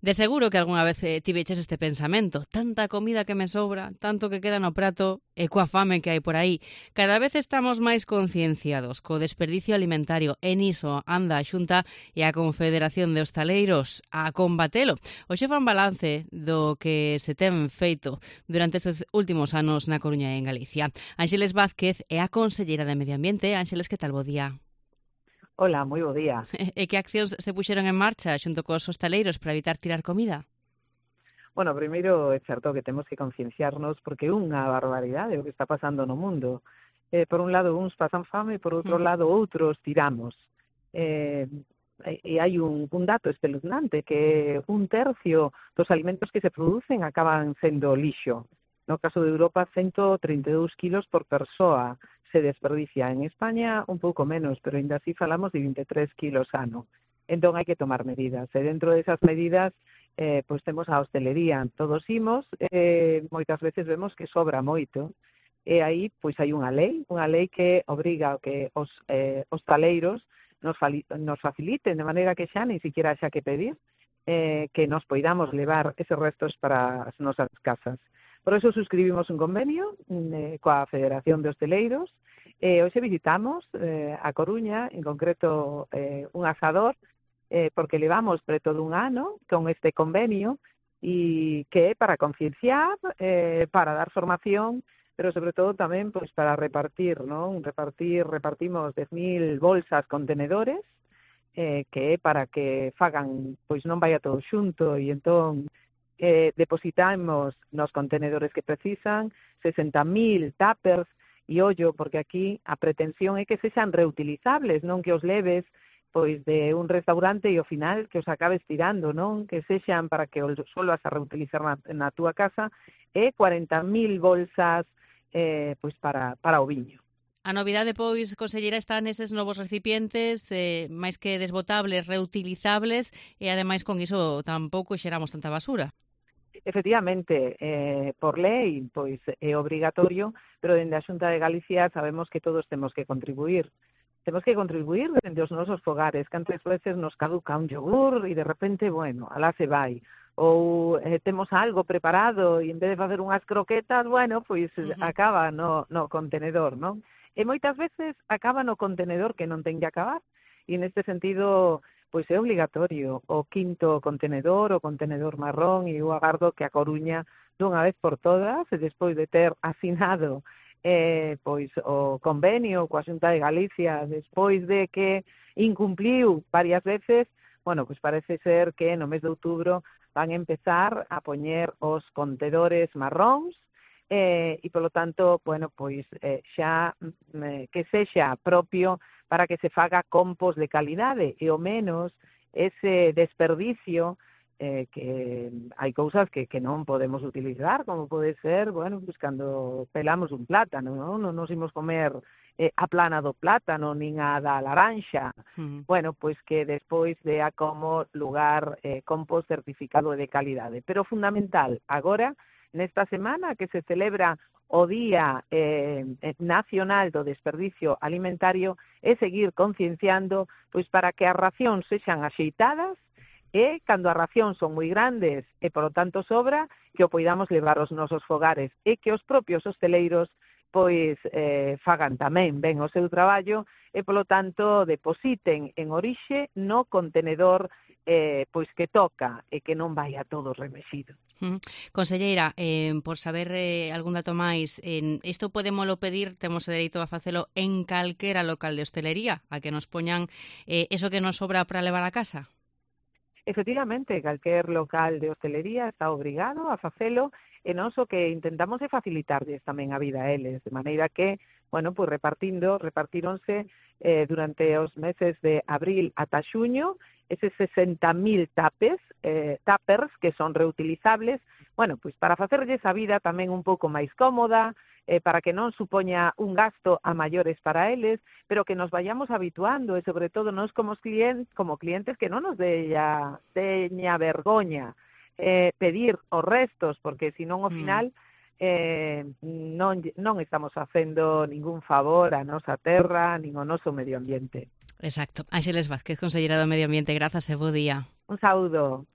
De seguro que algunha vez tiveches este pensamento. Tanta comida que me sobra, tanto que queda no prato e coa fame que hai por aí. Cada vez estamos máis concienciados co desperdicio alimentario e niso anda a Xunta e a Confederación de Hostaleiros a combatelo. Hoxe fan balance do que se ten feito durante estes últimos anos na Coruña e en Galicia. Ánxeles Vázquez é a conselleira de Medio Ambiente. Ánxeles, que tal? Bo día. Hola, moi bo día. E que accións se puxeron en marcha xunto cos hostaleiros para evitar tirar comida? Bueno, primeiro é certo que temos que concienciarnos porque é unha barbaridade o que está pasando no mundo. Por un lado, uns pasan fame e por outro lado, outros tiramos. E hai un dato espeluznante que 1/3 dos alimentos que se producen acaban sendo lixo. No caso de Europa, 132 kilos por persoa se desperdicia. En España un pouco menos, pero ainda así falamos de 23 kilos ano. Entón hai que tomar medidas. E dentro desas medidas, pois temos a hostelería. Todos imos, moitas veces vemos que sobra moito. E aí pois hai unha lei que obriga a que os hostaleiros nos faciliten, de maneira que xa nin siquiera xa que pedir, que nos poidamos levar eses restos para as nosas casas. Por eso suscribimos un convenio coa Federación de Hostaleiros. Hoxe visitamos a Coruña, en concreto un asador, porque levamos preto dun ano con este convenio e que é para concienciar, para dar formación, pero sobre todo tamén pois para repartir, non? Repartimos 10.000 bolsas contenedores, que é para que fagan, pois non vaya todo xunto e entón depositamos nos contenedores que precisan 60.000 tuppers e ollo, porque aquí a pretensión é que sexan reutilizables, non que os leves pois de un restaurante e ao final que os acabes tirando, non? Que sexan para que os volvas a reutilizar na túa casa, e 40.000 bolsas pois para o viño. A novidade, pois, conselleira, está neses novos recipientes, máis que desbotables, reutilizables, e ademais con iso tampouco xeramos tanta basura. Efectivamente, por lei, pois é obrigatorio, pero dende a Xunta de Galicia sabemos que todos temos que contribuir. Temos que contribuir dende os nosos fogares, que antes veces nos caduca un yogur e de repente, bueno, alá se vai. Ou temos algo preparado e en vez de facer unhas croquetas, bueno, pois acaba no contenedor, non? E moitas veces acaba no contenedor que non ten que acabar. E neste sentido, pois é obligatorio o 5º contenedor, o contenedor marrón, e eu agardo que a Coruña, dunha vez por todas, e despois de ter asinado pois o convenio coa Xunta de Galicia, despois de que incumpliu varias veces, bueno, pois parece ser que no mes de outubro van empezar a poñer os contedores marróns, e polo tanto, bueno, pois xa que sexa propio para que se faga compost de calidade e ao menos ese desperdicio que hai cousas que non podemos utilizar, como pode ser, bueno, pues cando pelamos un plátano, non nos imos comer a plana do plátano, nin a da laranxa. Bueno, pois que despois dea como lugar compost certificado de calidade. Pero fundamental, agora, nesta semana que se celebra o Día Nacional do Desperdicio Alimentario, é seguir concienciando pois para que as racións sexan axeitadas e, cando as racións son moi grandes e, polo tanto, sobra, que o poidamos levar aos nosos fogares e que os propios hosteleiros pois fagan tamén ben o seu traballo e, polo tanto, depositen en orixe no contenedor pois que toca e que non vai a todo remexido. Conselleira, por saber algún dato máis, isto podémolo pedir, temos o dereito a facelo en calquera local de hostelería, a que nos poñan eso que nos sobra para levar a casa? Efectivamente, calquer local de hostelería está obrigado a facelo e nós o que intentamos é facilitarlles tamén a vida a eles, de maneira que, bueno, pues repartíronse durante os meses de abril ata xuño eses 60.000 tuppers que son reutilizables, bueno, pues para facerlles a vida tamén un pouco máis cómoda, para que non supoña un gasto a maiores para eles, pero que nos vayamos habituando e sobre todo nós como clientes que non nos teña vergoña pedir os restos, porque senón ao final non estamos facendo ningún favor á nosa terra nin ao noso medio ambiente. Exacto. Ánxeles Vázquez, conselleira do Medio Ambiente, grazas e bo día. Un saúdo.